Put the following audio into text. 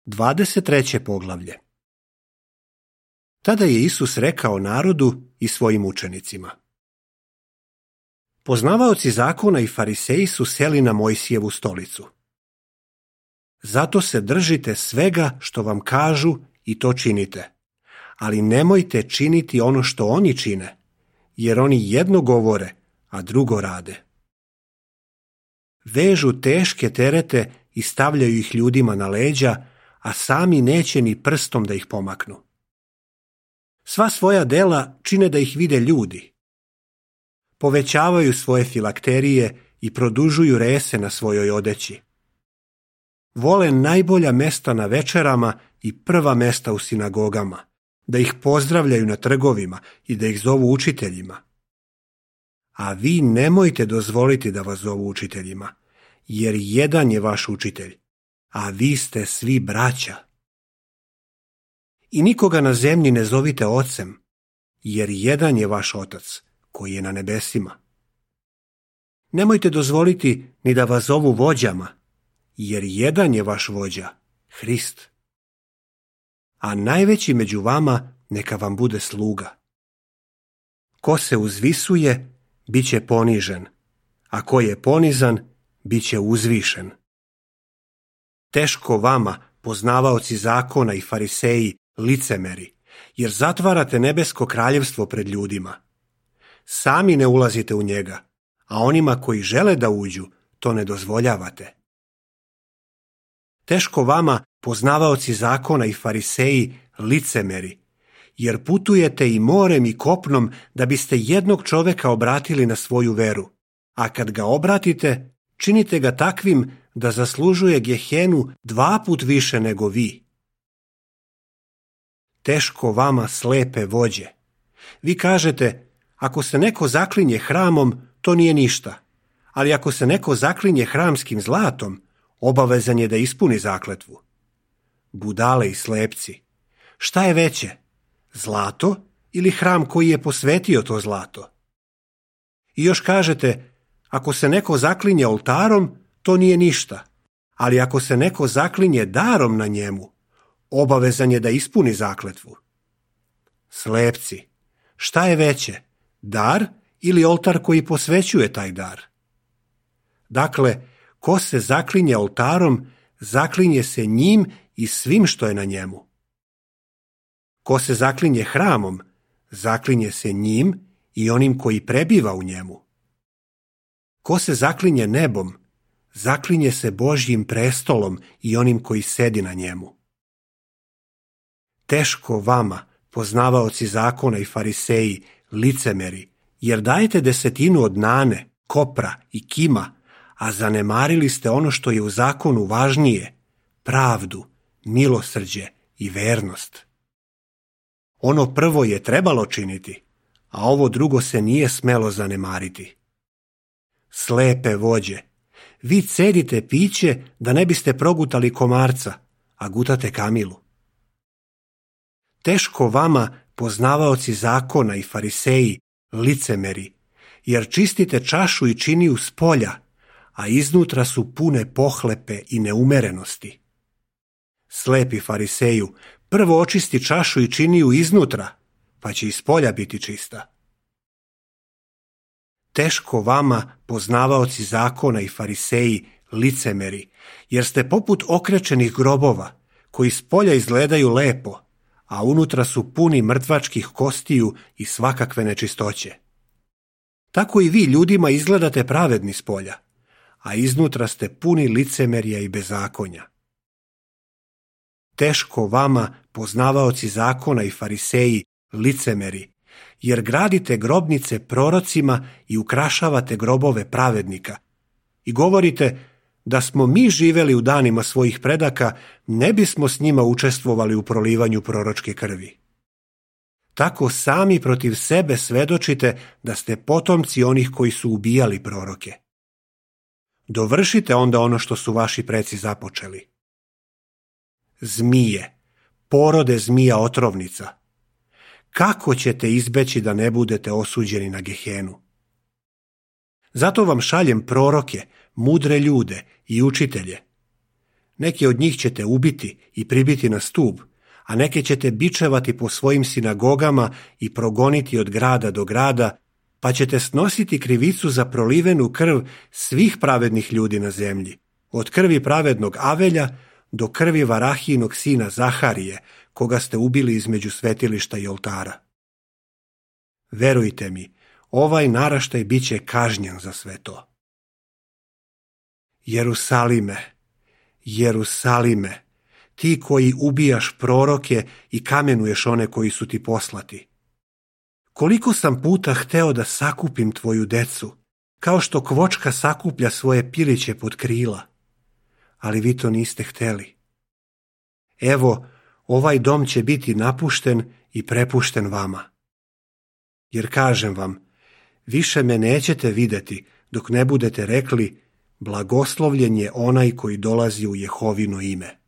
23. poglavlje. Tada je Isus rekao narodu i svojim učenicima: Poznavaoci zakona i fariseji su seli na Mojsijevu stolicu. Zato se držite svega što vam kažu i to činite, ali nemojte činiti ono što oni čine, jer oni jedno govore, a drugo rade. Vežu teške terete i stavljaju ih ljudima na leđa, a sami neće ni prstom da ih pomaknu. Sva svoja dela čine da ih vide ljudi. Povećavaju svoje filakterije i produžuju rese na svojoj odeći. Vole najbolja mesta na večerama i prva mesta u sinagogama, da ih pozdravljaju na trgovima i da ih zovu učiteljima. A vi nemojte dozvoliti da vas zovu učiteljima, jer jedan je vaš učitelj, a vi ste svi braća. I nikoga na zemlji ne zovite ocem, jer jedan je vaš otac, koji je na nebesima. Nemojte dozvoliti ni da vas zovu vođama, jer jedan je vaš vođa, Hrist. A najveći među vama neka vam bude sluga. Ko se uzvisuje, bit će ponižen, a ko je ponizan, bit će uzvišen. Teško vama, poznavaoci zakona i fariseji, licemeri, jer zatvarate nebesko kraljevstvo pred ljudima. Sami ne ulazite u njega, a onima koji žele da uđu, to ne dozvoljavate. Teško vama, poznavaoci zakona i fariseji, licemeri, jer putujete i morem i kopnom da biste jednog čoveka obratili na svoju veru, a kad ga obratite, činite ga takvim da zaslužuje Gehenu 2 puta više nego vi. Teško vama, slepe vođe. Vi kažete, ako se neko zaklinje hramom, to nije ništa, ali ako se neko zaklinje hramskim zlatom, obavezan je da ispuni zakletvu. Budale i slepci, šta je veće, zlato ili hram koji je posvetio to zlato? I još kažete, ako se neko zaklinje oltarom, to nije ništa, ali ako se neko zaklinje darom na njemu, obavezan je da ispuni zakletvu. Slepci, šta je veće, dar ili oltar koji posvećuje taj dar? Dakle, ko se zaklinje oltarom, zaklinje se njim i svim što je na njemu. Ko se zaklinje hramom, zaklinje se njim i onim koji prebiva u njemu. Ko se zaklinje nebom, zaklinje se Božjim prestolom i onim koji sedi na njemu. Teško vama, poznavaoci zakona i fariseji, licemeri, jer dajete 10% od nane, kopra i kima, a zanemarili ste ono što je u zakonu važnije, pravdu, milosrđe i vernost. Ono prvo je trebalo činiti, a ovo drugo se nije smelo zanemariti. Slepe vođe, vi cedite piće da ne biste progutali komarca, a gutate kamilu. Teško vama, poznavaoci zakona i fariseji, licemeri, jer čistite čašu i činiju spolja, a iznutra su pune pohlepe i neumerenosti. Slepi fariseju, prvo očisti čašu i činiju iznutra, pa će i spolja biti čista. Teško vama, poznavaoci zakona i fariseji, licemeri, jer ste poput okrečenih grobova, koji spolja izgledaju lepo, a unutra su puni mrtvačkih kostiju i svakakve nečistoće. Tako i vi ljudima izgledate pravedni spolja, a iznutra ste puni licemerja i bezakonja. Teško vama, poznavaoci zakona i fariseji, licemeri, jer gradite grobnice prorocima i ukrašavate grobove pravednika. I govorite, da smo mi živeli u danima svojih predaka, ne bismo s njima učestvovali u prolivanju proročke krvi. Tako sami protiv sebe svedočite da ste potomci onih koji su ubijali proroke. Dovršite onda ono što su vaši preci započeli. Zmije, porode zmija otrovnica. Kako ćete izbeći da ne budete osuđeni na Gehenu? Zato vam šaljem proroke, mudre ljude i učitelje. Neke od njih ćete ubiti i pribiti na stup, a neke ćete bičevati po svojim sinagogama i progoniti od grada do grada, pa ćete snositi krivicu za prolivenu krv svih pravednih ljudi na zemlji, od krvi pravednog Avelja do krvi Varahijinog sina Zaharije, koga ste ubili između svetilišta i oltara. Verujte mi, ovaj naraštaj bit će kažnjen za sve to. Jerusalime, Jerusalime, ti koji ubijaš proroke i kamenuješ one koji su ti poslati. Koliko sam puta hteo da sakupim tvoju decu, kao što kvočka sakuplja svoje piliće pod krila, ali vi to niste hteli. Evo, ovaj dom će biti napušten i prepušten vama. Jer kažem vam, više me nećete vidjeti dok ne budete rekli, blagoslovljen je onaj koji dolazi u Jehovino ime.